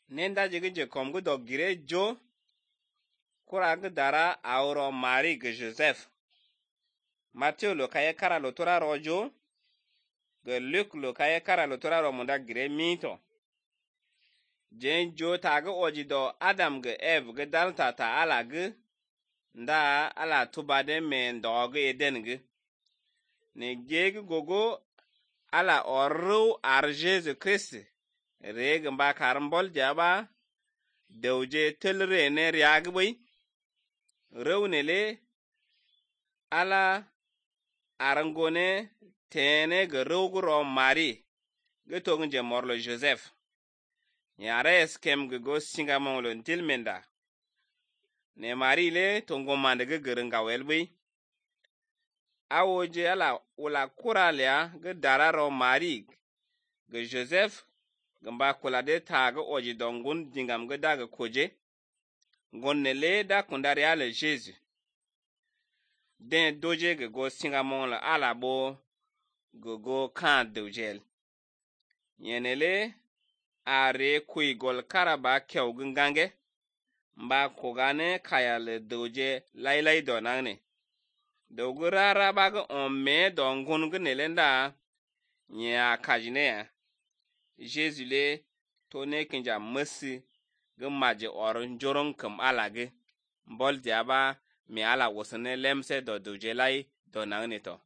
Nenda jige kom gu dog gire jo kura gu dara auro Mari gu Joseph. Matthew lo kaye kara lo tora rojo gu Luke lo kaye kara lo tora ro munda gire mito. Jen jo ta gu oji do Adam gu Eve gu dalta ta ala gu nda ala tubade men do gu eden gu. Ne gegu gogo ala oru ar Jesu Christ. Reg mba karambol jaba dewje telre ne riagbai rewnele ala arangone tene ga rewgro Mari gutong je morlo Joseph yare skem go singa monglo tilmenda ne Mari le tongo mande ga geringa welbai awoje ala ula kuralya ga dararo Mari ga Joseph gamba kula de taga oji dongun dingam ga daga koje gonne le da kundari ala Jesu den doje ga go singa mongla ala bo go kan dojel yenele are kui gol karaba kew gungange mba kogane kaya le doje lailai donangne dogurara baga omme dongun gunelenda nya kajine ya Jesu le to ne kinja masi gumaje orun jorong kum alage mbol diaba mi ala wosane lemse do dojelai do nangne to